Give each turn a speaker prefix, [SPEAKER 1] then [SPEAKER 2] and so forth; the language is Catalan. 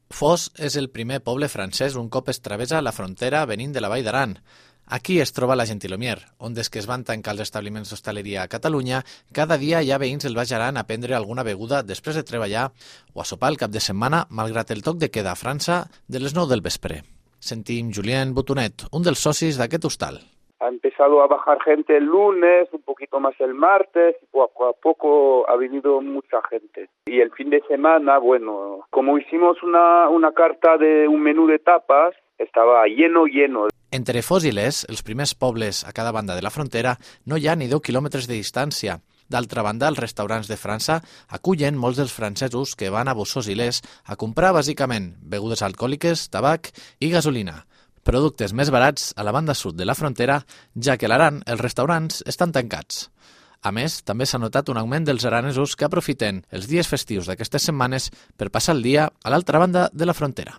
[SPEAKER 1] Fos és el primer poble francès un cop es travessa la frontera venint de la Vall d'Aran. Aquí es troba la Gentilhomier, on des que es van tancar els establiments d'hostaleria a Catalunya, cada dia hi ha veïns del Baix Aran a prendre alguna beguda després de treballar o a sopar el cap de setmana, malgrat el toc de queda a França de les 9 del vespre. Sentim Julien Botonet, un dels socis d'aquest hostal.
[SPEAKER 2] Ha empezado a bajar gente el lunes, un poquito más el martes, y poco a poco ha venido mucha gente. Y el fin de semana, bueno, como hicimos una carta de un menú de tapas, estaba lleno.
[SPEAKER 1] Entre Fos i Les, els primers pobles a cada banda de la frontera, no hi ha ni 10 quilòmetres de distància. D'altra banda, els restaurants de França acullen molts dels francesos que van a Bossós i Les a comprar bàsicament begudes alcohòliques, tabac i gasolina. Productes més barats a la banda sud de la frontera, ja que a l'Aran els restaurants estan tancats. A més, també s'ha notat un augment dels aranesos que aprofiten els dies festius d'aquestes setmanes per passar el dia a l'altra banda de la frontera.